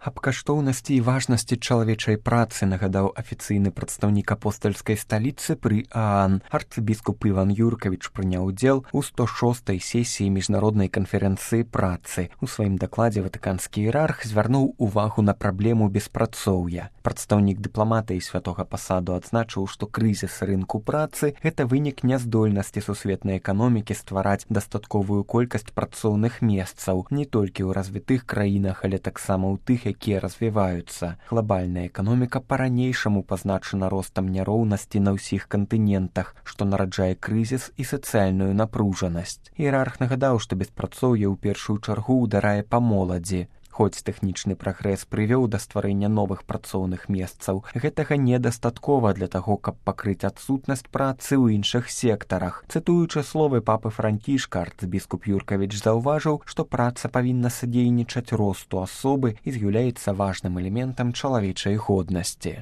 Аб каштоўнасці і важнасці чалавечай працы нагадаў афіцыйны прадстаўнік апостальскай сталіцы пры ААН. Арцыбіскуп Іван Юркавіч прыняў удзел у 106-й сесіі міжнароднай канферэнцыі працы. У сваім дакладзе ватыканскі іерарх звярнуў увагу на праблему беспрацоўя. Прадстаўнік дыпламатыі святога пасаду адзначыў, што крызіс рынку працы – гэта вынік няздольнасці сусветнай эканомікі ствараць дастатковую колькасць працоўных месцаў не толькі ў развітых краінах, але таксама ў тых, якія развіваюцца. Глобальная эканоміка па-ранейшаму пазначана ростам няроўнасці на ўсіх кантынентах, што нараджае крызіс і сацыяльную напружанасць. Іерарх нагадаў, што беспрацоўе ў першую чаргу ўдарае па моладзі. Хоць тэхнічны прагрэс прывёў да стварэння новых працоўных месцаў, гэтага недастаткова для таго, каб пакрыць адсутнасць працы ў іншых сектарах. Цытуючы словы папы Францішка, арцыбіскуп Юркавіч заўважыў, што праца павінна садзейнічаць росту асобы і з'яўляецца важным элементам чалавечай годнасці.